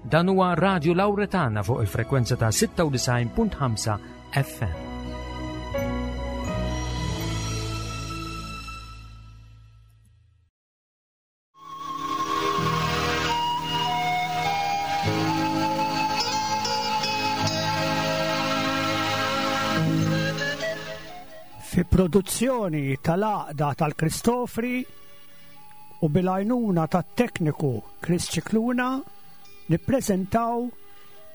Dan huwa Radio Lauretana fuq il-frekwenza ta' 96.5 FM. Fi produzzjoni tal-Għaqda tal-Kristofri u bil-għajnuna tat-tekniku Chris Cicluna nippreżentaw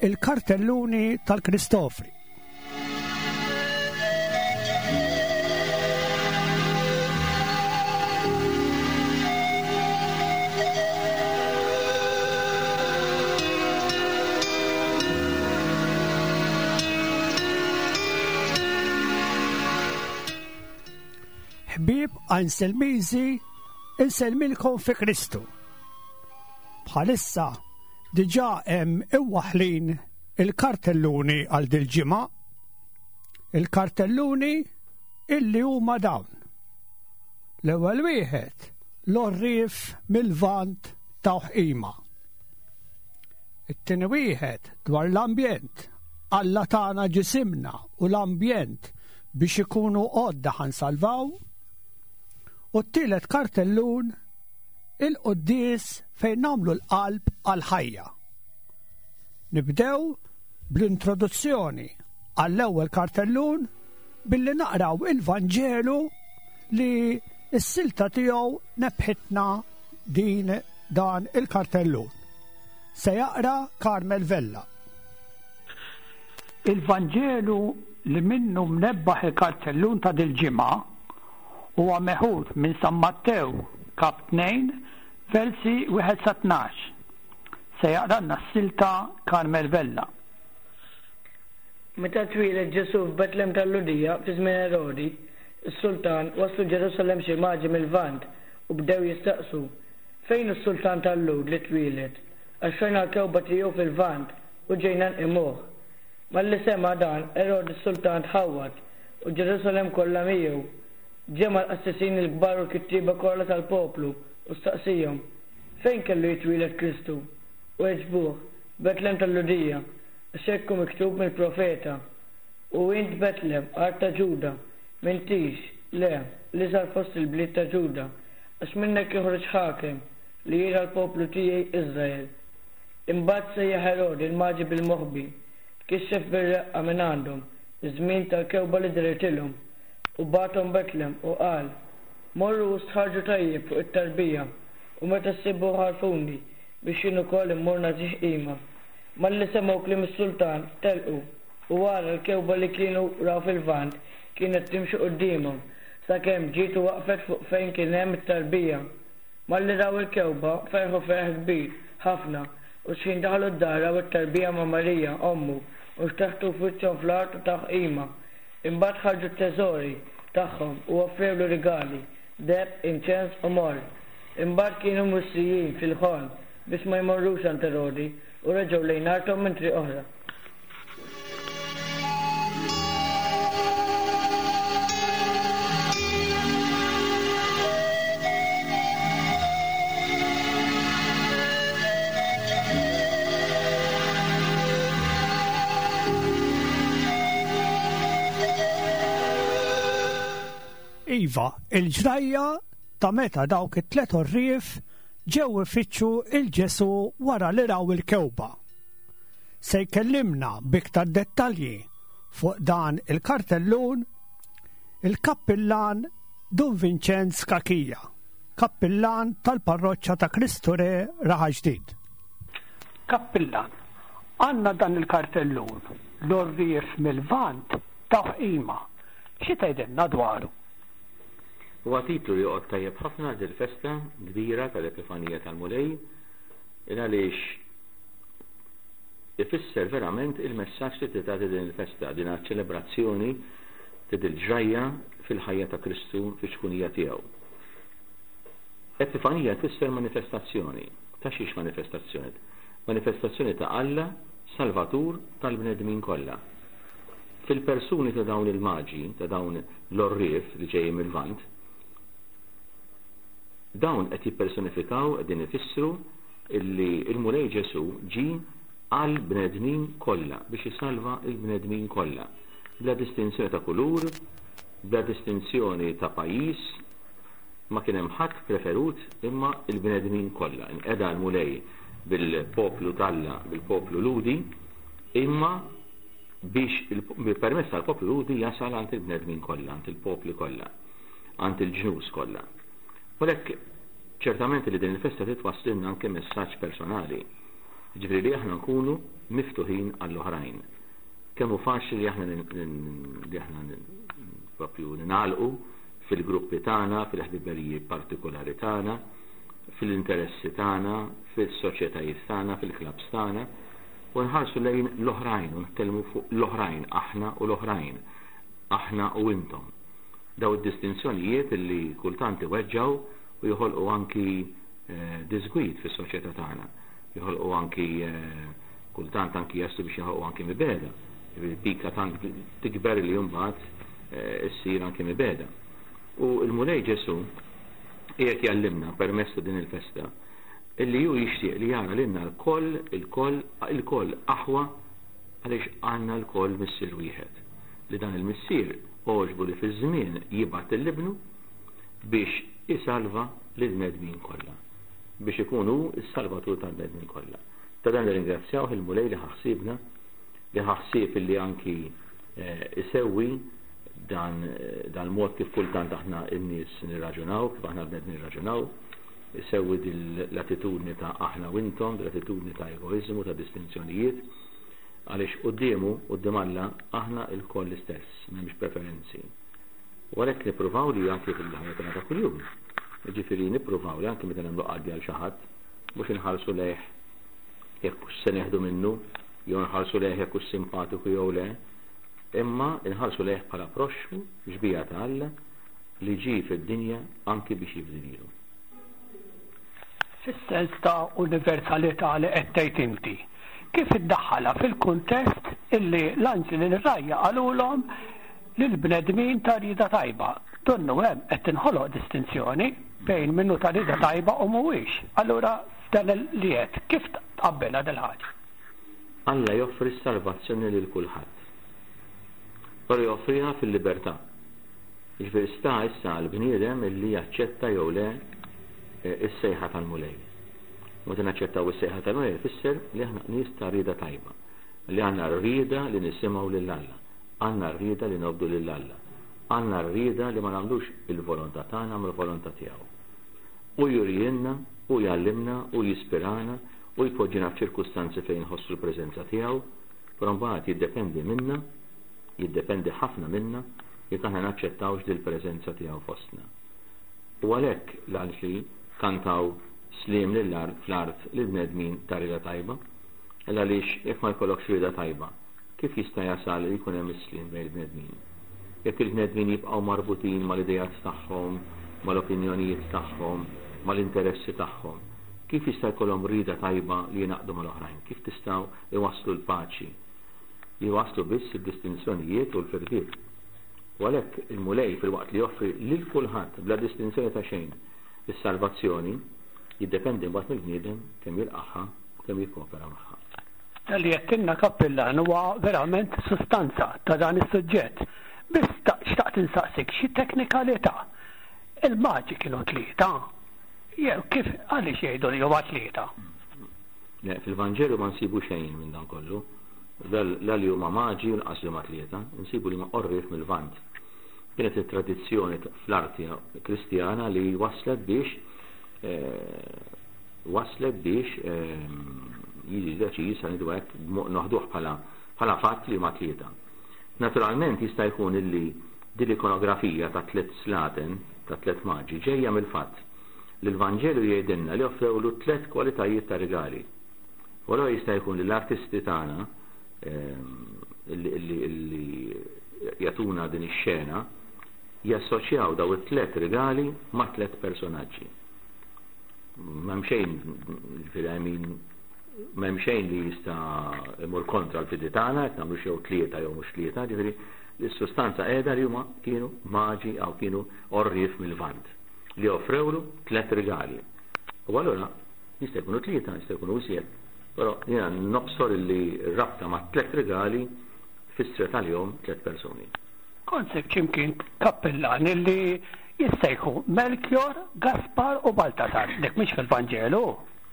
il-kartelluni tal-Kristofri. Ħbieb Anselmiżi, insellmilkom fi Kristu. Bħalissa diġà hemm imwaħħlin il-kartelluni għal dil-ġimgħa. Il-kartelluni illi huma dawn. L-ewwel wieħed l-għorrief mill-Lvant tawh qima. It-tieni wieħed dwar l-ambjent. Alla tana ġisimna u l-ambjent biex ikunu għodda ħa nsalvaw. U t-tielet kartellun il-quddies fejn nagħmlu l-qalb għall-ħajja. Nibdew bl-introduzzjoni għall-ewwel kartellun billi naqraw il-Vanġelu li s-silta tiegħu nebħitna din dan il-kartellun. Se jaqra Carmel Vella. Il-Vanġelu li minnu mnebbaħ il-kartellun ta' dil-ġimgħa huwa meħud minn San Mattew kap 2 versi 1 sa 12. Se jaqralna s-silta Carmel Vella. Meta twieled Ġesù f'Betlem tal-Lhudija fi żmien Erodi, is-sultan, waslu Ġerusalemm xi maġi mil-Lvant u bdew jistaqsu, Fejn hu s-sultan tal-Lhud li twieled? Għax rajna l-kewba tiegħu fil-Lvant u ġejna nqimuh. Malli sema' dan, Erodi s-sultan tħawwad, u Ġerusalemm kollha miegħu. Ġema' l-qassisin il-kbar u l-kittieba kollha tal-poplu u staqsiehom, Fejn kellu jitwieled Kristu? Weġbuh, F'Betlem tal-Lhudija, għax hekk hu miktub mill-profeta, U int, Betlem, art ta' Ġuda, m'intix, le, l-iżgħar fost il-bliet ta' Ġuda, għax minnek joħroġ ħakem, li jirgħa l-poplu tiegħi Iżrael. Imbagħad sejjaħ Erodi l-maġi bil-moħbi, tkixxef bir-reqqa mingħandhom iż-żmien tal-kewba li dehritilhom, u bagħathom Betlem, u qal, Morru u stħarrġu tajjeb fuq it-tarbija, u meta ssibuh għarrfuni, biex jien ukoll immur nagħtih qima. Malli semgħu kliem is-sultan, telqu, u ara l-kewba li kienu raw fil-Lvant kienet timxi quddiemhom, sakemm ġiet u waqfet fuq fejn kien hemm it-tarbija. Malli raw il-kewba, ferħu ferħ kbir ħafna, u xħin daħlu d-dar raw it-tarbija ma' Marija, ommu, u xteħtu f'wiċċhom fl-art u tawh qima. Imbagħad ħarġu t-teżori tagħhom u offrewlu rigali, deheb, inċens u morr. Imbagħad kienu mwissijin fil-ħolm biex ma jmorrux għand Erodi u reġgħu lejn arthom minn triq oħra. Iva, il-ġrajja ta' meta dawk it-tlet għorrief ġew ifittxu il Ġesu wara li raw il-kewba. Se jkellimna b'iktar dettalji fuq dan il-kartellun il-kappillan Dun Vincenz Cachia, kappillan tal-Parroċċa ta' Kristu Re Raħal Ġdid. Kappillan, għandna dan il-kartellun, l-għorrief mil-Lvant tawh qima. Xi tgħidilna dwaru? Huwa titlu li joqgħod tajjeb ħafna għal dil-festa kbira tal-Epifanija tal-Mulej, il għaliex ifisser verament il-messaġġ li tagħti din il-festa, din ċelebrazzjoni ta' dil-ġrajja fil-ħajja ta' Kristu fiċ-ċkunija tiegħu. Epifanija tfisser manifestazzjoni. Ta' xiex manifestazzjoni? Manifestazzjoni ta' Alla, Salvatur tal-bnedmin kollha. Fil-persuni ta' dawn il-maġi, ta' dawn l-għorrief li ġejjin mil-Lvant, dawn qed jippersonifikaw, qegħdin ifissru illi l-Mulej Ġesù ġie. għall-bnedmin kollha, biex isalva l-bnedmin kollha, bla distinzjoni ta' kulur, bla distinzjoni ta' pajjiż, ma kien hemm ħadd preferut imma l-bnedmin kollha. Inqeda l-Mulej bil-poplu t'Alla, bil-poplu Lhudi, imma biex permezz tal-poplu Lhudi jasal għand il-bnedmin kollha, għand il-popli kollha, għand il-ġnus kollha. U għalhekk ċertament li din il-festa trid twasslilna anke messaġġ personali. Jiġifieri li aħna nkunu miftuħin għall-oħrajn. Kemm hu faċli li aħna li aħna propju ningħalqu fil-gruppi tagħna, fil-ħbiberiji partikolari tagħna, fil-interessi tagħna, fis-soċjetajiet tagħna, fil-klabbs tagħna, u nħarsu lejn l-oħrajn u nitkellmu fuq l-oħrajn, aħna u l-oħrajn, aħna u intom. Daw id-distinzjonijiet li kultant iweġġgħu u joħolqu anki diżgwid fis-soċjetà tagħna. Joħolqu anki kultant anki jaslu biex joħolqu anki mibegħda. Jiġifieri pika tant tikber li mbagħad issir anki mibegħda. U l-Mulej Ġesù qiegħed jgħallimna permezz ta' din il-festa illi hu jixtieq li jara lilna lkoll, ilkoll, ilkoll aħwa għaliex għandna lkoll Missier wieħed. Li dan il-Missier għoġbu li fiż-żmien jibgħat lil Ibnu biex isalva lill-bnedmin kollha, biex ikun hu s-Salvatur tal-bnedmin kollha. Ta' dan nirringrazzjawh il-Mulej li ħa ħsiebna, li ħa ħsieb illi anki isewwi dan dal-mod kif kultant aħna n-nies nirraġunaw, kif aħna l-bnedmin nirraġunaw, isewwi din l-attitudni ta' aħna u intom, din l-attitudni ta' egoiżmu, ta' distinzjonijiet, għaliex quddiemu, quddiem Alla, aħna lkoll l-istess, m'hemmx preferenzi. U għalhekk nippruvaw li anki fil-ħajja tagħna ta' kuljum, jiġifieri nippruvaw li anki meta nagħmlu qaddi għal xi ħadd, mhux inħarsu lejh jekk hux se nieħdu minnu, jew nħarsu lejh jekk hux simpatiku jew le, imma nħarsu lejh bħala proxxmu, xbieha ta' Alla, li ġie fid-dinja anki biex jifdi lilu. Fis-sens ta' universalità li qed tgħid inti, kif iddaħħalha fil-kuntest illi l-anġli lir-rgħajja qalulhom lill-bnedmin ta' rieda tajba? Donnu hemm qed tinħoloq distinzjoni bejn min hu ta' rieda tajba u mhuwiex. Allura f'dan li għedt, kif tqabbilha dil-ħaġa? Alla joffri s-salvazzjoni lil kulħadd. Però joffriha fil-libertà. Jiġifieri sta issa għall-bniedem illi jaċċetta jew le s-sejħa tal-Mulej. Meta naċċettaw is-sejħa tal-Mulej ifisser li aħna nies ta' rieda tajba, li għandna r-rieda li nisimgħu lil Alla, għandna r-rieda li nobdu lil Alla, għandna r-rieda li ma nagħmlux il-volontà tagħna imma l-volontà tiegħu. Hu jurielna, hu jgħallimna, hu jispirana, hu jpoġġina f'ċirkustanzi fejn inħossu l-preżenza tiegħu, però mbagħad jiddependi minna Jiddependi ħafna minna jekk aħna naċċettawx dil-preżenza tiegħu fostna. U għalhekk l-anġli kantaw sliem lill-art fl-art lill-bnedmin ta' rieda tajba. Għaliex jekk ma jkollokx rieda tajba, kif jista' jasal li jkun hemm is-sliem bejn il-bnedmin? Jekk il-bnedmin jibqgħu marbutin mal-ideat tagħhom, mal-opinjonijiet tagħhom, mal-interessi tagħhom, kif jista' jkollhom rieda tajba li jingħaqdu mal-oħrajn? Kif tistgħu iwasslu l-paċi? li jwasslu biss id-distinzjonijiet u l-firdiet. U għalhekk il-Mulej filwaqt li joffri lil kulħadd bla distinzjoni ta' xejn is-salvazzjoni, jiddependi mbagħad mill-bniedem kemm jilqagħha u kemm jikkopera magħha. Dan li għedtilna Kappillan huwa verament sustanza ta' dan is-suġġett. Biss xtaqt insaqsik xi teknikalità. Il-maġi kienu tlieta? Jew kif għaliex jgħidu li huma tlieta? Le, fil-Vanġelu ma nsibu xejn minn dan kollu. La li huma maġi u lanqas li huma tlieta, insibu li huma għorrief mil-Lvant. Kienet it-tradizzjoni fl-arti Kristjana li wasslet biex wasslet biex jiġi deċiż, ħa ngħidu hekk, noħduh bħala bħala fatt li huma tlieta. Naturalment jista' jkun illi din l-ikonografija ta' tliet slaten, ta' tliet maġi, ġejja mill-fatt li l-Vanġelu jgħidilna li offrewlu tliet kwalitajiet ta' rigali. U allura jista' jkun li l-artisti tagħna li jagħtuna din ix-xena jassoċjaw daw it-tlet rigali ma' tlet personaġġi. M'hemm xejn, ġifieri I mean, m'hemm xejn li jista' imur kontra l-fidi tagħna, qed nagħmlu xew tlieta jew mhux tlieta, ġifieri s-sustanza qiegħda li huma kienu maġi jew kienu għorrief mil-Lvant li offrewlu tlet rigali. U allura Jista' jkunu tlieta, jista' jkunu iżjed. Però jiena nobsor illi r-rabta mat-tlett rigali fissret għalihom tlett persuni. Kont sibt xi mkien kappillan illi jissejħu Melkjor, Gaspar u Baltasar. Dik mhix fil-Vanġelu?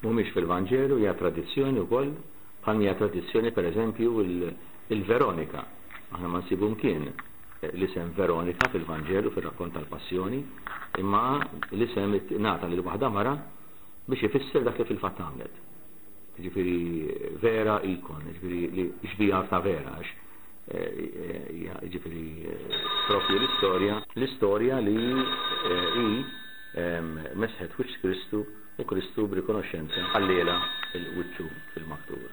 Mhumiex fil-Vanġelu, hija tradizzjoni wkoll, bħal hija tradizzjoni pereżempju il-Veronika. Aħna ma nsibu mkien l-isem Veronika fil-Vanġelu fir-rakkont tal-Passjoni, imma l-isem ingħata lil waħda mara biex ifisser dak li fil-fatt għamlet. Jiġifieri vera ikon, jiġifieri li xbieha ta' vera għax jiġifieri propju l-istorja, l-istorja li hi mesħet wiċċ Kristu u Kristu b'rikonoxxenza ħallielha l-wiċċu fil-maktur.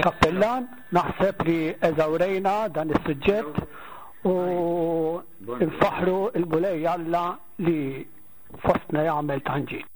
Kappillan, naħseb li eżawrejna dan is-suġġett u nfaħħru l-Mulej Alla li fostna jagħmel tant ġid.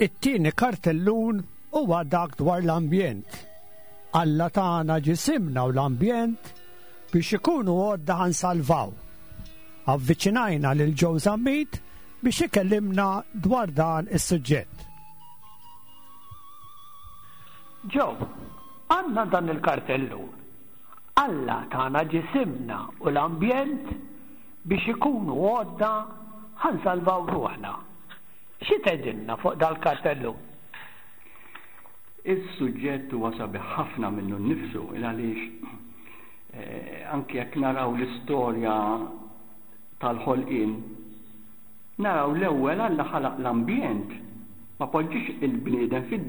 It-tieni kartellun huwa dak dwar l-ambjent. Alla tagħna ġisimna u l-ambjent biex ikunu għodda ħansalvaw. Avviċinajna lil Joe Zammit biex ikellimna dwar dan is-suġġett. Joe, għandna dan il-kartellun. Alla tana ġisimna u l-ambjent biex ikunu għodda ħa nsalvaw ruħna. Xi tgħidilna fuq dal-kartellun? Is-suġġett huwa sabiħ ħafna minnu nnifsu il għaliex eh, anke jekk naraw l-istorja tal-ħolqien Naraw l-ewwel Alla ħalaq l-ambjent, ma poġġiex il-bniedem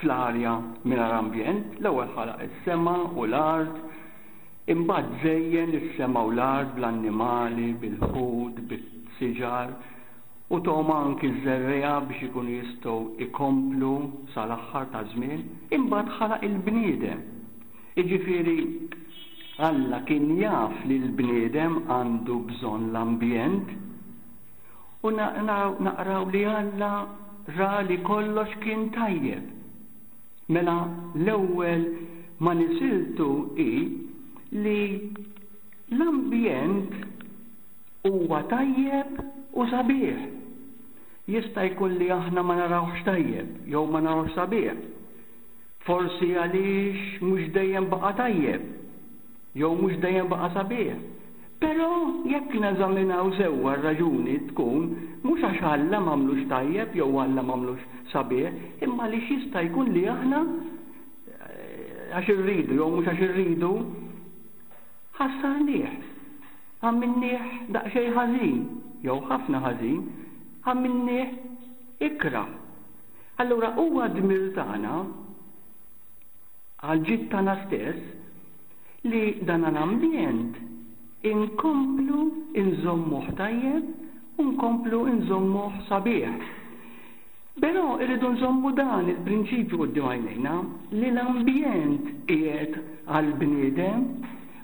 fl-arja mingħajr ambjent, l-ewwel ħalaq is-sema u l-art, imbagħad żejjen is-sema u l-art bl-annimali, bil-ħut, bis-siġar, u tahom anki ż-żerriegħa biex ikunu jistgħu jkomplu sal-aħħar taż-żmien, imbagħad ħalaq il-bniedem. Jiġifieri Alla kien jaf li l-bniedem għandu bżonn l-ambjent u naqraw li Alla ra li kollox kien tajjeb. Mela l-ewwel ma nisiltu hi li l-ambjent huwa tajjeb u sabiħ. Jista' jkun li aħna ma narawhx tajjeb jew ma narawhx sabiħ. Forsi għaliex mhux dejjem baqa' tajjeb, jew mhux dejjem baqa' sabiħ. Però jekk neżaminaw sewwa r-raġuni tkun mhux għax Alla m'għamlux tajjeb jew Alla m'għamlux sabiħ, imma għaliex jista' jkun li aħna għax irridu jew mhux għax irridu ħassarnieh, għamilnieh daqsxejn ħażin jew ħafna ħażin, għamilnieh ikrah. Allura huwa dmir tagħna għall-ġid tagħna stess li dan l-ambjent inkomplu nżommuh tajjeb u nkomplu nżommuh sabiħ. Però irridu nżommu dan il-prinċipju quddiem għajnejna li l-ambjent qiegħed għall-bniedem,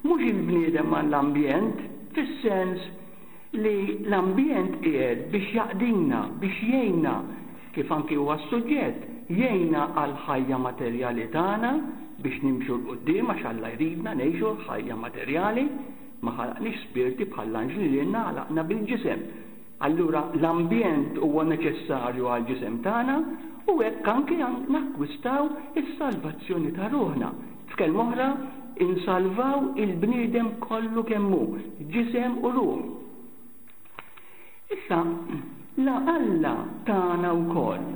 mhux il-bniedem għall-ambjent, fis-sens li l-ambjent qiegħed biex jaqdina, biex jgħinna, kif anki huwa s-suġġett, jgħinna għall-ħajja materjali tagħna biex nimxu 'l quddiem għax Alla jridna ngħixu l-ħajja materjali, ma ħalaqniex spirti bħall-anġli lilna ħalaqna bil-ġisem. Allura l-ambjent huwa neċessarju għall-ġisem tagħna u hekk anki nakkwistaw is-salvazzjoni ta' ruħna. F'kelma oħra, insalvaw il-bniedem kollu kemm hu, ġisem u ruħ. Issa, la Alla tana wkoll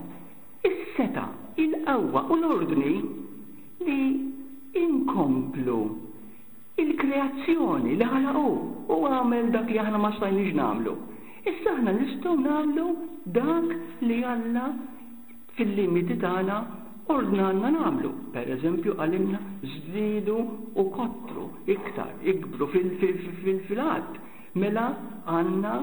is-setgħa, il-qawwa u l-ordni li inkomplu il-kreazzjoni li ħalaq hu. Hu għamel dak li aħna ma stajniex nagħmlu. Issa aħna nistgħu nagħmlu dak li Alla fil-limiti tagħna ordnalna nagħmlu. Per eżempju qalilna żdiedu u kottru iktar, ikbru fil-għadd. Mela għandna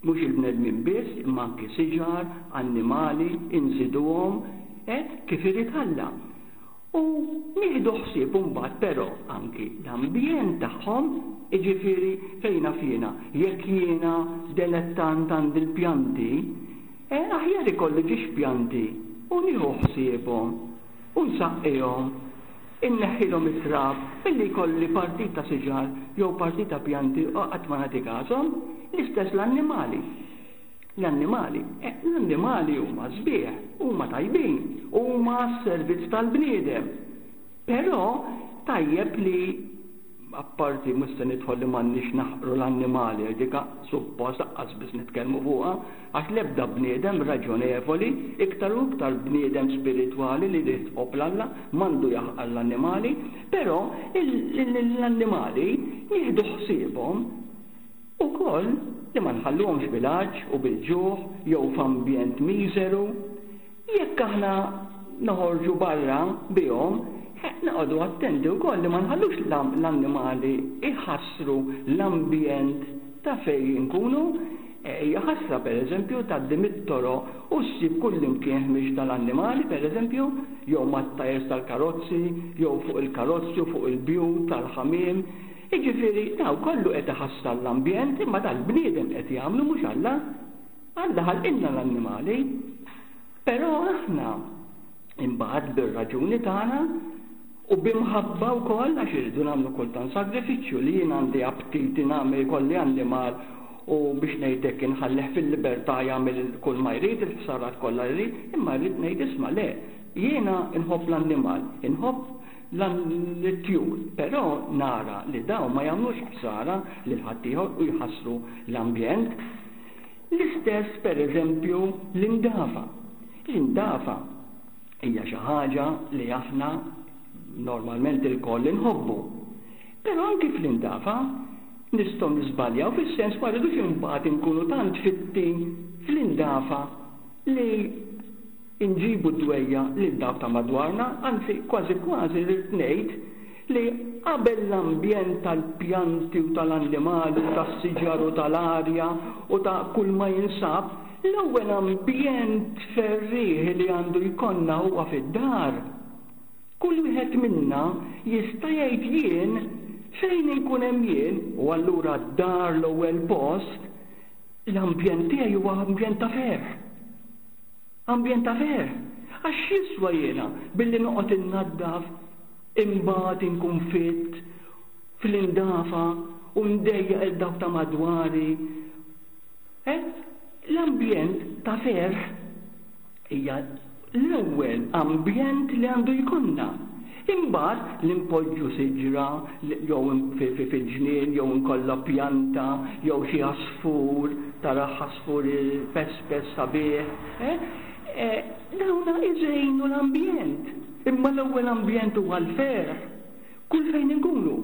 mhux il-bnedmin biss imma anki siġar, annimali, inżiduhom. eh, kif irid Alla. U nieħdu ħsieb imbagħad però anki l-ambjent tagħhom, jiġifieri fejn naf jiena, jekk jiena delettant għandi l-pjanti, eh, aħjar ikolli ġiex pjanti u nieħu ħsiebhom u nsaqqihom, inneħħilhom it-trab milli jkolli partita siġar jew partita pjanti u qatt ma nagħti każhom. L-istess l-annimali. L-annimali, eh, l-annimali huma sbieħ, huma tajbin, huma għas-servizz tal-bniedem. Però tajjeb li apparti mhux se nidħol li m'għandniex naħqru l-annimali, għax dik suppost laqqas biss nitkellmu fuqha, għax l-ebda bniedem raġonevoli, iktar u iktar bniedem spiritwali li jrid iħobb 'l Alla, m'għandu jaħqar l-annimali, però l-annimali nieħdu ħsiebhom Ukoll li ma nħalluhomx bil-għatx u bil-ġuħ jew f'ambjent miżeru. Jekk aħna noħorġu barra bihom, noqogħdu attenti wkoll li ma nħallux l-annimali jħassru l-ambjent ta' fejn inkunu. Hija ħasra pereżempju tgħaddi mit-toroq u ssib kullimkien ħmieġ tal-annimali pereżempju, jew mat-tajers tal-karozzi, jew fuq il-karozzi u fuq il-bjut tal-ħamiem. Jiġifieri dawn kollu qed iħassar l-ambjent imma dan l-bniedem qed jagħmlu mhux Alla. Alla ħalqilna l-annimali. Però aħna imbagħad bir-raġuni tagħna u b'imħabba wkoll għax irridu nagħmlu kultant sagrifiċċju li jien għandi aptiti nagħmel ikolli annimal u biex ngħid hekk inħallih fil-libertà jagħmel kull ma jrid, il-ħsarat kollha li jrid, imma rrid ngħid isma' le, jiena nħobb l-annimal, inħobb l-tjur, però nara li dawn ma jagħmlux ħsara lil ħaddieħor u jħassru l-ambjent. L-istess pereżempju l-indafa. L-indafa hija xi ħaġa li aħna normalment ilkoll inħobbu. Però anki fl-indafa nistgħu niżbaljaw fis-sens ma rridux imbagħad inkunu tant fitti fl-indafa li inġibu d-dwejjaq lil dawk ta' madwarna, anzi kważi kważi rrid ngħid li qabel l-ambjent tal-pjanti u tal-annimali u tas-siġar u tal-arja u ta' kull ma jinsab, l-ewwel ambjent ferrieħi li għandu jkollna huwa fid-dar. Kull wieħed minna jista' jgħid jien fejn inkun hemm jien, u allura d-dar l-ewwel post, l-ambjent tiegħi huwa ambjent ta' ferħ. Ambjent ta' ferħ. Għax x'jiswa jiena billi noqgħod innaddaf imbagħad inkun fitt fl-indafa u ndejjaq 'il dawk ta' madwari. Eh? L-ambjent ta' ferħ hija l-ewwel ambjent li għandu jkollna. Imbagħad li npoġġu siġra jew fil-ġnien jew inkollha pjanta jew xi għasfur, tarah għasfur pespes sabiħ, eh, dawna iżejnu l-ambjent. Imma l-ewwel ambjent huwa l-ferħ. Kull fejn inkunu.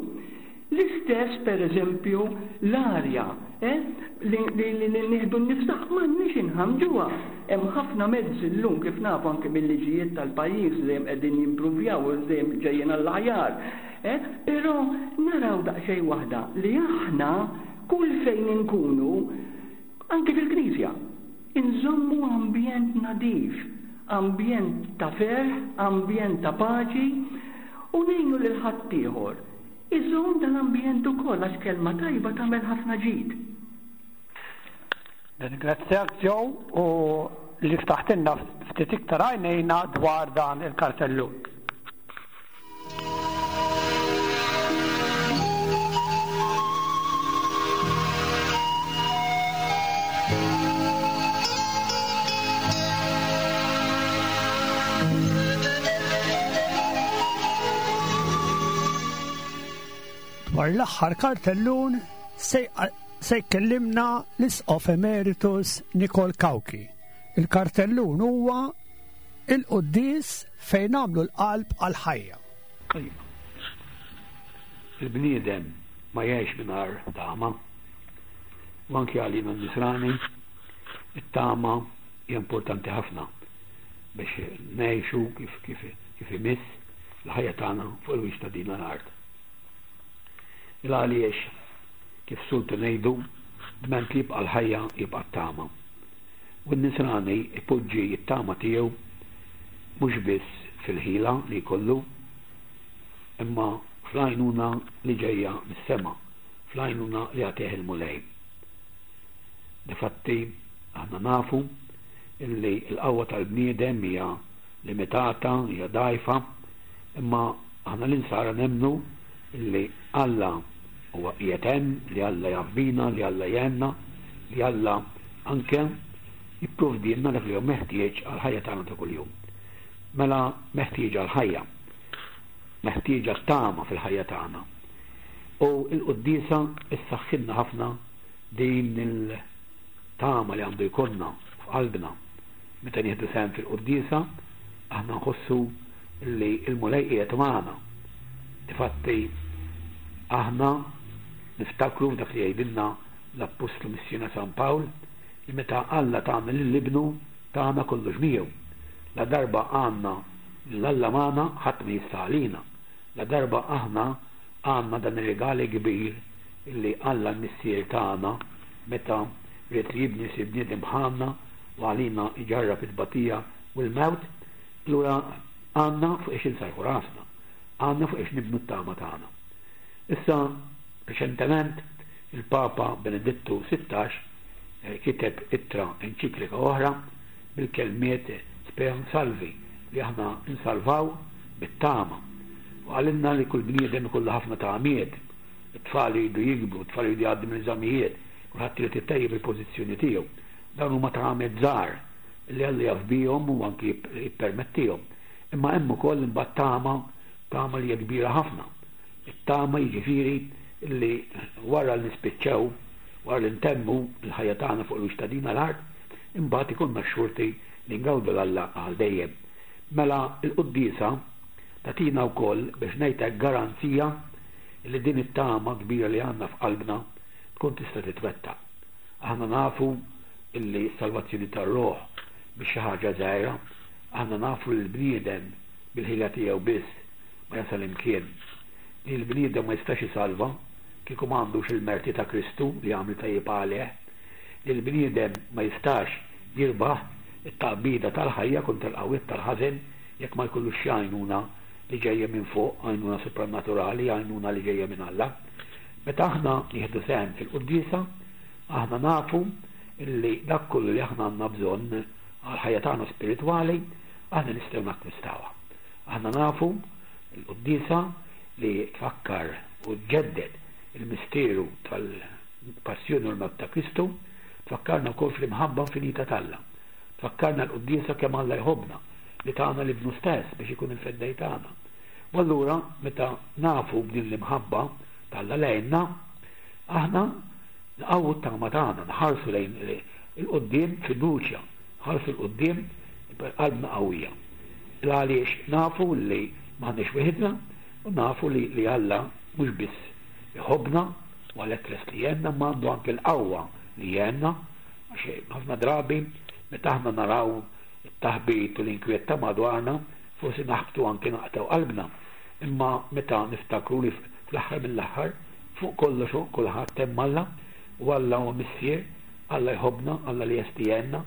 L-istess, per eżempju, l-arja, eh, li nieħdu n-nifs tagħha m'għandniex inħammġuha. Hemm ħafna mezzi llum kif nafu anke mil-liġijiet tal-pajjiż li dejjem qegħdin jimpruvjaw u dejjem ġejjin għall-aħjar. Eh, però naraw daqsxejn waħda li aħna kull fejn inkunu, anke fil-Knisja, inżommu ambjent nadif, ambjent ta' ferħ, ambjent ta' paċi u ngħinu lil ħaddieħor Iżomm dan l-ambjent ukoll għax kelma tajba tagħmel ħafna ġid. Nirringrazzjak Joe u li ftaħtilna ftit iktar għajnejna dwar dan il-kartellun. Dwar l-aħħar kartellun se jkellimna l-Isqof Emeritus Nikol Cauchi. Il-kartellun huwa il-quddies fejn nagħmlu l-qalb għall-ħajja. Il-bniedem ma jgħix mingħajr tama. U anki għalina n-nisrani, it-tama hija importanti ħafna biex ngħixu kif kif kif imiss l-ħajja tagħna fuq il-wiċċ ta' din l-art. Il għaliex kif sultu ngħidu dment li jibqa' l-ħajja jibqa' t-tama. U n-nisrani ipoġġi t-tama tiegħu Mhux biss fil-ħila li jkollu, imma fl-għajnuna li ġejja mis-sema, fl-għajnuna li jagħtih il-Mulej. Difatti, aħna nafu illi l-qawwa tal-bniedem hija limitata, hija dgħajfa, imma aħna l-insara nemmnu illi Alla huwa qiegħed hemm, li Alla jaf bina, li Alla jgħinna, li Alla anke jipprovdilna dak li hu meħtieġ għall-ħajja tagħna ta' kuljum. Mela meħtieġa l-ħajja, meħtieġa t-tama fil-ħajja tagħna. U l-quddiesa ssaħħilna ħafna din il-tama li għandu jkollna f'qalbna. Meta nieħdu sehem fil-quddiesa, aħna nħossu li l-Mulej qiegħed magħna. Difatti, aħna niftakru f'dak li jgħidilna l-Appostlu Missierna San Pawl, li meta Alla tana lil Ibnu, tana kollox miegħu. Ladarba għandna lil Alla magħna, ħadd ma jista' għalina. Ladarba aħna għandna dan ir-rigal kbir li Alla l-Missier tana meta ried li Ibnu jsir bniedem bħalna u għalina jġarrab it-tbatija u l-mewt, allura għandna fuq iex insarrħu rasna, għandna fuq iex nibnu t-tama tagħna. Issa, reċentement, il-Papa Benedittu 16 kiteb ittra enċiklika oħra bil-kelmiet Speram Salvi li aħna nsalvaw bit-tama. U qalilna li kull bniedem ikollu ħafna tamiet. It-tfal iridu jikbru, it-tfal iridu jgħaddu mill-eżamijiet, kulħadd irid itejjeb il-pożizzjoni tiegħu. Dawn huma tamiet żgħar li Alla jaf bihom u anki jippermettihom. Imma hemm ukoll imbagħad tama, tama li hija kbira ħafna. It-tama jiġifieri li wara li nispiċċaw, wara li ntemmu l-ħajja tagħna fuq il-wiċċ ta' din l-art, imbagħad ikollna x-xorti li ngawdu 'l Alla għal dejjem. Mela l-quddiesa tagħtina wkoll biex ngħid hekk garanzija li din it-tama kbira li għandna f'qalbna tkun tista' titwettaq. Aħna nafu illi s-salvazzjoni tar-ruħ mhix xi ħaġa żgħira, aħna nafu li l-bniedem bil-ħila tiegħu biss ma jasal imkien. Li l-bniedem ma jistax isalva kieku ma għandux il-merti ta' Kristu li jagħmel tajjeb għalih. Li l-bniedem ma jistax jirbaħ it-taqbida tal-ħajja kontra l-qawwiet tal-ħażen jekk ma jkollux xi għajnuna li ġejja minn fuq, għajnuna supranaturali, għajnuna li ġejja minn Alla. Meta aħna nieħdu sehem fil-quddiesa, aħna nafu li dak kollu li aħna għandna bżonn għall-ħajja tagħna spiritwali, aħna nistgħu nakkwistawha. Aħna nafu l-quddiesa li tfakkar u ġġedded il-misteru tal-passjoni u l-mewt ta' Kristu, tfakkarna wkoll fl-imħabba infinita t'Alla. Tfakkarna l-quddiesa kemm Alla jħobbna, li tana 'l Ibnu stess biex ikun il-Feddej tagħna. U allura meta nafu b'din l-imħabba t'Alla lejna, aħna nqawwu t-tama tagħna, nħarsu lejn 'il quddiem b'fiduċja, nħarsu 'l quddiem b'qalbna qawwija. L-għaliex nafu li m'aħniex weħidna u nafu li li Alla mhux biss iħobbna u għalhekk lest li jgħinna imma għandu anke l-qawwa li jgħinna għax ħafna drabi meta aħna naraw it-taħbit u l-inkwiet ta' madwarna forsi naħbtu anke naqtgħu qalbna. Imma meta niftakru li fl-aħħar mill-aħħar fuq kollox u kulħadd hemm Alla u Alla huwa Missier, Alla jħobbna, Alla li lest jgħinna,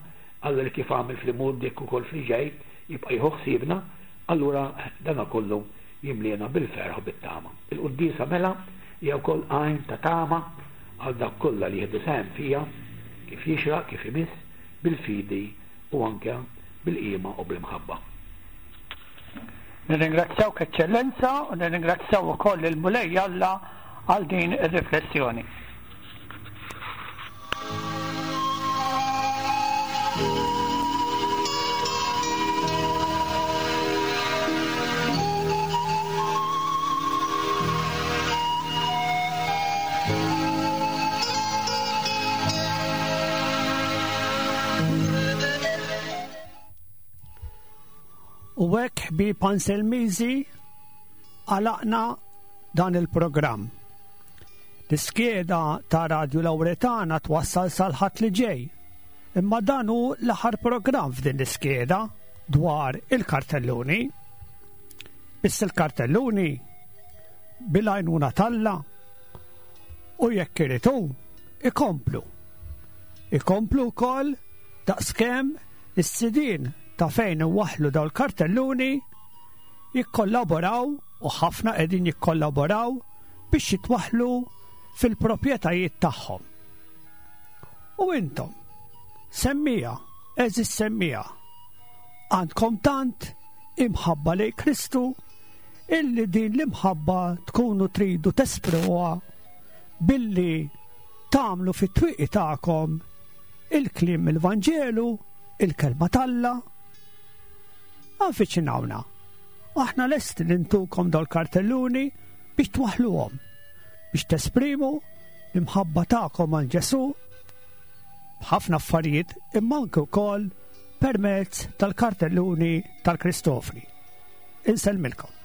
Alla li kif għamel fl-imgħoddi hekk ukoll fl-ġej jibqa' jieħu ħsiebna, allura dana kollu jimliena bil-ferħ u bit-tama. Il-quddiesa mela hija wkoll għajn ta' tama għal dawk kollha li jieħdu sehem fiha kif jixraq, kif imiss, bil-fidi u anke bil-qima u bl-imħabba. Nirringrazzjawk Eċċellenza u nirringrazzjaw ukoll il-Mulej Alla għal din ir-riflessjoni. U hekk ħbieb Anselmiżi għalaqna dan il-programm. L-iskeda ta' Radju Lawretana twassal sal-Ħadd li ġej. Imma dan hu l-aħħar programm f'din l-iskeda dwar il-kartelluni. Biss il-kartelluni bil-għajnuna t'Alla u jekk irid hu ikomplu. Ikomplu wkoll daqskemm is-sidien. ta' fejn iwaħħlu dawn il-kartelluni jikkollaboraw u ħafna qegħdin jikkollaboraw biex jitwaħħlu fil-proprjetajiet tagħhom. U intom, semmija, eżis semmija, għandkom tant imħabba lejn Kristu illi din l-imħabba tkunu tridu tesprimuha billi tagħmlu fit-twieqi tagħkom il-kliem il-Vanġelu, il-kelma t'Alla. Avviċinawna. Aħna lesti li ntukom dal-kartelluni biex twaħluhom, biex tesprimu l-imħabba tagħkom għal Ġesù b'ħafna affarijiet imma anke wkoll permezz tal-kartelluni tal-Kristofri. Insellmilkom.